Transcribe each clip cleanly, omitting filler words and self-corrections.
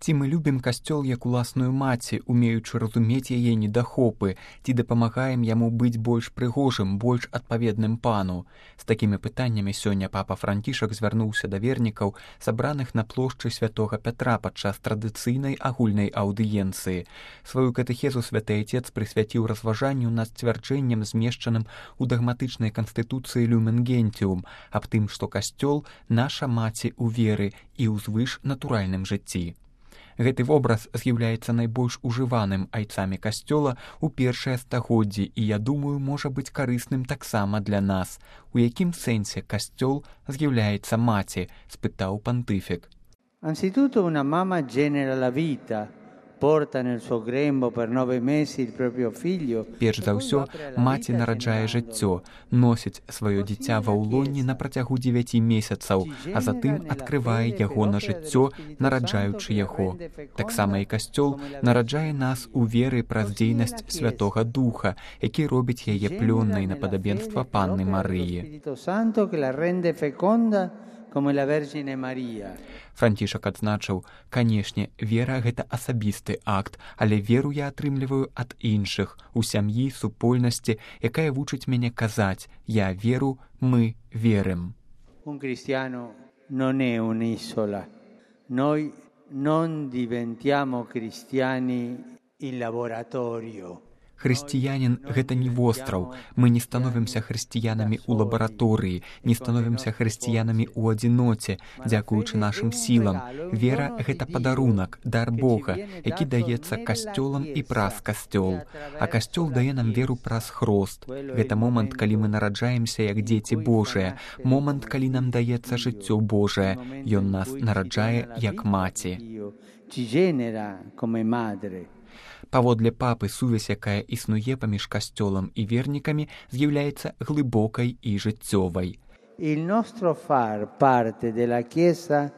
Ці мы любім касцёл як уласную маці, умеючы разумець яе недахопы, ці дапамагаем яму быць больш прыгожым, больш адпаведным пану? З такімі пытаннямі сёння папа Францішак звярнуўся да вернікаў, сабраных на плошчы святога Пятра падчас традыцыйнай агульнай аўдыенцыі. Сваю катэхезу святы Отец прысвяціў разважанню над сцвярджэннем, змешчаным у дагматычнай канстытуцыі Люмен Гентиум, аб тым, што касцёл — наша маці ў веры і ў звышнатуральным жыцці. Гэты вобраз з'яўляецца найбольш ужываным айцамі касцёла ў першыя стагоддзі і, я думаю, можа быць карысным таксама для нас. У якім сэнсе касцёл з'яўляецца маці? — спытаў пантыфік. Anzitutto una mamma genera la vita. Перш за ўсё, маці нараджае жыццё, носіць сваё дзіця ва ўлонні на працягу 9 месяцаў, а затым адкрывае яго на жыццё, нараджаючы яго. Таксама і касцёл нараджае нас у веры праз дзейнасць Святога Духа, які робіць яе плённай на падабенства Панны Марыі. Францішак адзначыў: канешне, вера — гэта асабісты акт, але веру я атрымліваю ад іншых, у сям'і, супольнасці, якая вучыць мяне казаць: я веру, мы верым. Un cristiano non è un'isola. Noi non diventiamo cristiani in laboratorio. Хрысціянін — гэта не востраў. Мы не становімся хрысціянамі ў лабараторыі, не становімся хрысціянамі ў адзіноце, дзякуючы нашым сілам. Вера — гэта падарунак, дар Бога, які даецца касцёлам і праз касцёл. А касцёл дае нам веру праз хрост. Гэта момант, калі мы нараджаемся як дзеці Божыя, момант, калі нам даецца жыццё Божае. Ён нас нараджае як маці. Паводле папы, сувязь, якая існуе паміж касцёлам і вернікамі, з'яўляецца глыбокай і жыццёвай. Il nostro far parte della Chiesa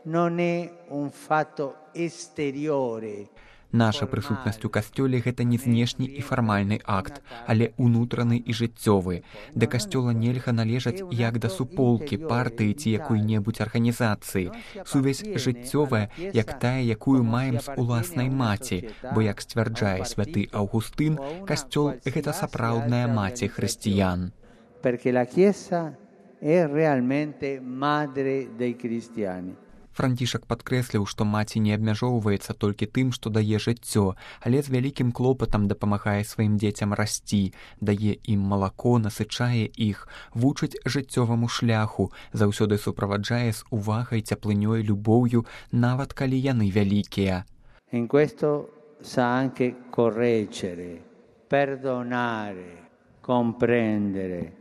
non è un fatto esteriore. Наша прысутнасць у касцёле — гэта не знешні і фармальны акт, але унутраны і жыццёвы. Да касцёла нельга належаць як да суполкі, партыі ці якой-небудзь арганізацыі. Сувязь жыццёвая, як тая, якую маем з уласнай маці, бо, як сцвярджае святы Аўгустын, касцёл — гэта сапраўдная маці хрысціян. Perché la Chiesa è realmente madre dei cristiani. Францішак падкрэсліў, што маці не абмяжоўваецца толькі тым, што дае жыццё, але з вялікім клопатам дапамагае сваім дзецям расці, дае ім малако, насычае іх, вучыць жыццёваму шляху, заўсёды суправаджае з увагай, цяплынёй, любоўю, нават калі яны вялікія. In questo sa anche correggere, perdonare, comprendere.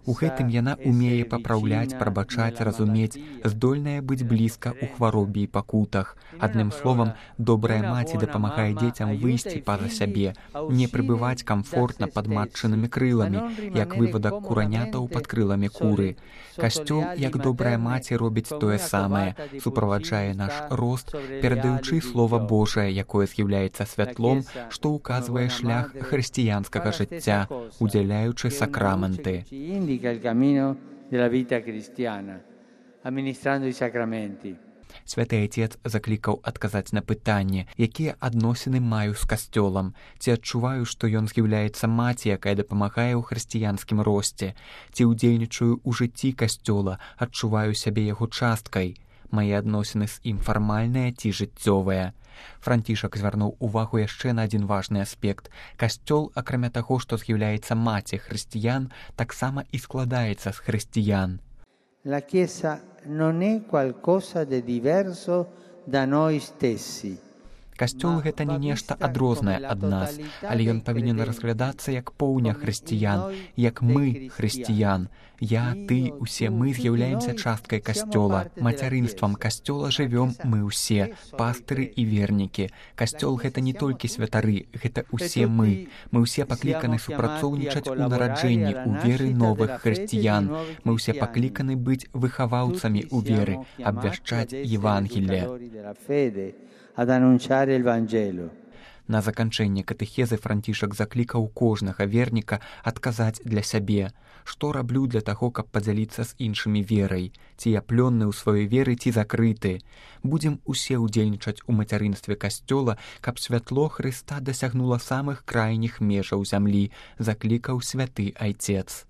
У гэтым яна умее папраўляць, прабачаць, разумець, здольная быць блізка ў хваробе і пакутах. Адным словам, добрая маці дапамагае дзецям выйсці па-за сябе, не прыбываць камфортна пад матчынымі крыламі, як вывадак куранятаў пад крыламі куры. Касцёл, як добрая маці, робіць тое самае, суправаджае наш рост, перадаючы Слова Божае, якое з'яўляецца святлом, што ўказвае шлях хрысціянскага жыцця, удзяляючы сакраменты. Indica il cammino della vita cristiana, amministrando i sacramenti. Святы Отец заклікаў адказаць на пытанне, якія адносіны маю з касцёлам, ці адчуваю, што ён з'яўляецца маці, якая дапамагае ў хрысціянскім росце, ці ўдзельнічаю ў жыцці касцёла, адчуваю сябе яго часткай. Мае адносіны з ім фармальныя ці жыццёвыя. Францішак звярнуў увагу яшчэ на адзін важны аспект. Касцёл, акрамя таго, што з'яўляецца маці хрысціян, таксама і складаецца з хрысціян. La Chiesa non è qualcosa di diverso da noi stessi. Касцёл — гэта не нешта адрознае ад нас, але ён павінен разглядацца як поўня хрысціян, як мы хрысціян. Я, ты, усе мы з'яўляемся часткай касцёла. Мацярынствам касцёла жывём мы ўсе, пастыры і вернікі. Касцёл — гэта не толькі святары, гэта ўсе мы. Мы ўсе пакліканы супрацоўнічаць у нараджэнні, у веры новых хрысціян. Мы ўсе пакліканы быць выхаваўцамі ў веры, абвяшчаць Евангелле. Ad annunciare il Vangelo. На заканчэнне катэхезы Францішак заклікаў кожнага верніка адказаць для сябе, што раблю для таго, каб падзяліцца з іншымі верай, ці я плённы ў сваёй веры, ці закрыты. Будзем усе ўдзельнічаць у мацярынстве касцёла, каб святло Хрыста дасягнула самых крайніх межаў зямлі, заклікаў святы айцец.